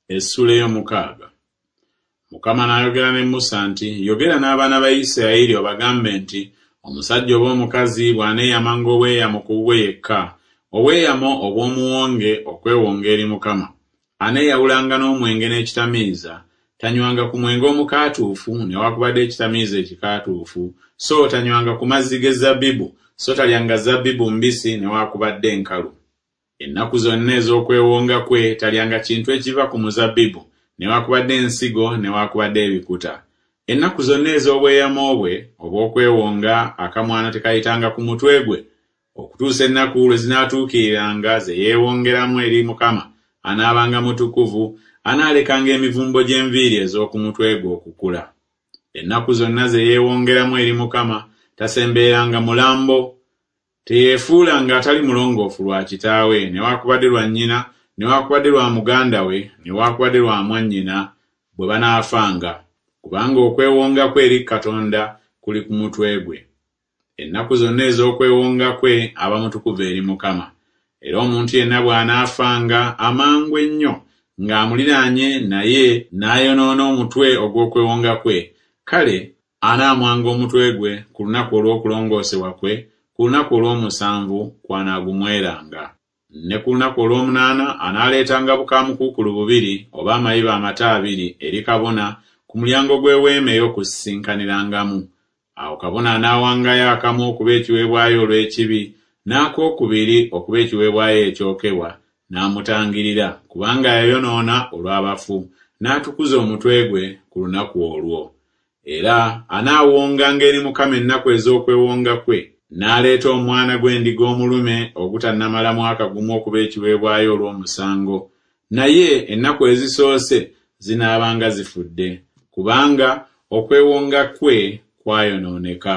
Essuula ey'omukaaga. Mukama n'ayogera ne Musa nti, Yogera n'abaana ba Isirayiri obagambe nti, Omusajja oba omukazi bw'aneeyamanga obweyamo ku bubwe yekka, obweyamo obw'omuwonge okwewonga eri Mukama, aneeyawulanga n'omwenge n'ekitamiiza, tanywanga ku mwenge omukaatuufu newakubadde ekitamiiza ekikaatuufu, so tanywanga ku mazzi g'ezzabbibu, so talyanga zabbibu mbisi newakubadde enkalu. Ennaku zonna ez'okwewonga kwe talyanga kintu ekiva ku muzabbibu, newakubadde ensigo newakubadde ebikuta. Ennaku zonna ez'obweyamo bwe obw'okwewonga akamwano tekayitanga ku mutwe gwe, okutuusa ennaku lwe zinaatuukiriranga ze yeewongeramu eri Mukama, anaabanga mutukuvu, anaalekanga emivumbo gy'enviiri ez'oku mutwe gwe okukula. Ennaku zonna ze yeewongeramu eri Mukama tasembereranga mulambo. Teyeefuulanga atali mulongoofu lwa kitaawe newakubadde lwa nnyina newakubadde lwa muganda we newakubadde lwa mwannyina bwe banaafanga, kubanga okwewonga kwe eri Katonda kuli ku mutwe gwe. Ennaku zonna ez'okwewonga kwe aba mutukuvu eri Mukama. Era omuntu yenna bw'anaafanga amangu ennyo ng'amuliraanye naye n'ayonoona omutwe ogw'okwewonga kwe, kale Anaamwanga omutwe gwe ku lunaku olw'okulongoosebwa kwe, ku lunaku olw'omusanvu kw'anaagumweranga. Ne ku lunaku olw'omunaana anaaleetanga bukaamukuukulu bubiri oba amayiba amato abiri eri kabona ku mulyango gw'eweema ey'okusisinkanirangamu. Awo kabona anaawangayo akamu okuba ekiweebwayo olw'ekibi, n'ak'okubiri okuba ekiweebwayo ekyokebwa, n'amutangirira, kubanga yayonoona olw'abafu, n'atukuza omutwe gwe ku lunaku olwo. Era anaawonganga eri Mukama ennaku ez'okwewonga kwe, n'aleeta omwana gw'endiga omulume ogutannamala mwaka gumu okuba ekiweebwayo olw'omusango, naye ennaku ezisoose zinaabanga zifudde, kubanga okwewonga kwe kwayonooneka.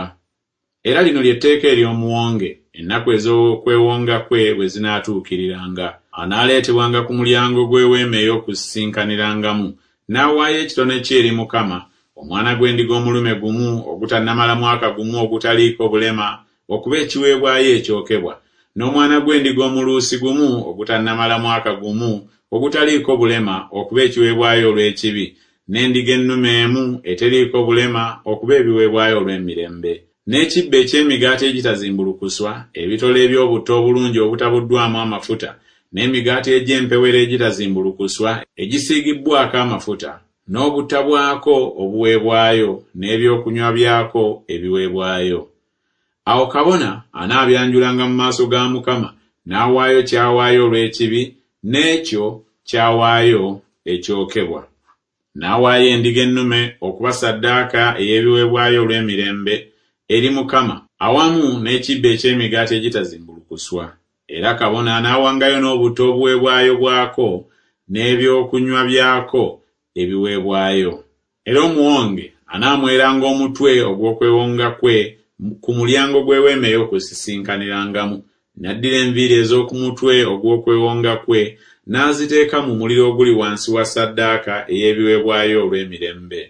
Era lino lye tteeka ery'omuwonge, ennaku ez'okwewonga kwe bwe zinaatuukiriranga. Anaaleetebwanga ku mulyango gw'eweema ey'okusisinkanirangamu, n'awaayo ekitone kye eri Mukama, omwana gw'endiga omulume gumu ogutannamala mwaka gumu ogutaliiko bulema okuba ekiweebwayo ekyokebwa, n'omwana gw'endiga omuluusi gumu ogutannamala mwaka gumu ogutaliiko bulema okuba ekiweebwayo olw'ekibi, n'endiga ennume emu eteriiko bulema okuba ebiweebwayo olw'emirembe, n'ekibbo eky'emigaati egitazimbulukuswa, ebitole eby'obutta obulungi obutabuddwamu amafuta, n'emigaati egy'empewere egitazimbulukuswa egisiigibbwako amafuta, n'obutta bwako obuweebwayo, n'ebyokunywa byako ebiweebwayo. Awo kabona anaabyanjulanga mu maaso ga Mukama, n'awaayo ky'awaayo olw'ekibi, n'ekyo ky'awaayo ekyokebwa. N'awaayo endiga ennume okuba ssaddaaka ey'ebiweebwayo olw'emirembe eri Mukama, awamu n'ekibbo eky'emigaati egitazimbulukuswa. Era kabona anaawangayo n'obutta obuweebwayo bwako n'ebyokunywa byako ebiweebwayo. Era omuwonge anaamweranga omutwe ogw'okwewonga kwe ku mulyango gw'eweema ey'okusisinkanirangamu, n'addira enviiri ez'oku mutwe ogw'okwewonga kwe n'aziteeka mu muliro oguli wansi wa ssaddaaka ey'ebiweebwayo olw'emirembe.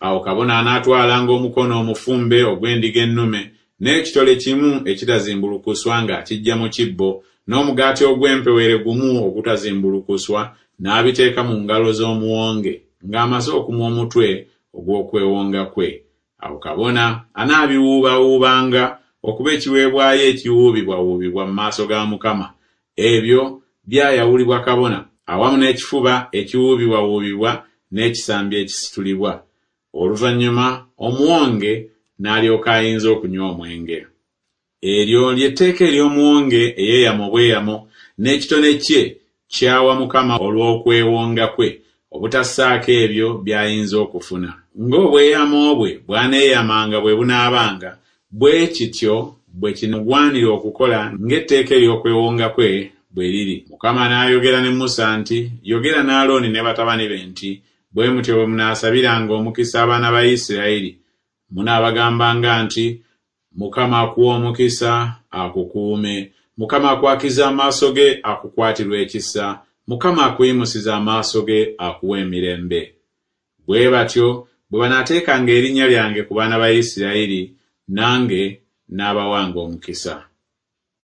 Awo kabona anaatwalanga omukono omufumbe ogw'endiga ennume, n'ekitole kimu ekitazimbulukuswa ng'akiggya mu kibbo, n'omugaati ogw'empewere gumu ogutazimbulukuswa, n'abiteeka mu ngalo z'omuwonge, ng'amaze okumwa omutwe ogw'okwewonga kwe. Awo kabona anaabiwuubawuubanga okuba ekiweebwayo ekiwuubibwawuubibwa mu maaso ga Mukama. Ebyo byayawulibwa kabona, awamu n'ekifuba ekiwuubibwawuubibwa n'ekisambi ekisitulibwa. Oluvannyuma omuwonge n'alyoka ayinza okunywa omwenge. Eryo lye tteeka ery'omuwonge eyeeyama obweyamo n'ekitone kye ky'awa Mukama olw'okwewonga kwe, obutassaako ebyo by'ayinza okufuna. Ng'obweyamo bwe bw'aneeyamanga bwe bunaabanga, bwe kityo bwe kimugwanira okukola ng'etteeka ery'okwewonga kwe bwe liri. Mukama n'ayogera ne Musa nti, Yogera ne Alooni ne batabani be nti, Bwe mutyo bwe munaasabiranga omukisa abaana ba Isirayiri, munaabagambanga nti, Mukama akuwe omukisa, akukuume. Mukama akwakize amaaso ge, akukwatirwe ekisa. Mukama akuyimusize amaaso ge, akuwe emirembe. Bwe batyo bwe banaateekanga erinnya lyange ku baana ba Isirayiri, nange naabawanga omukisa.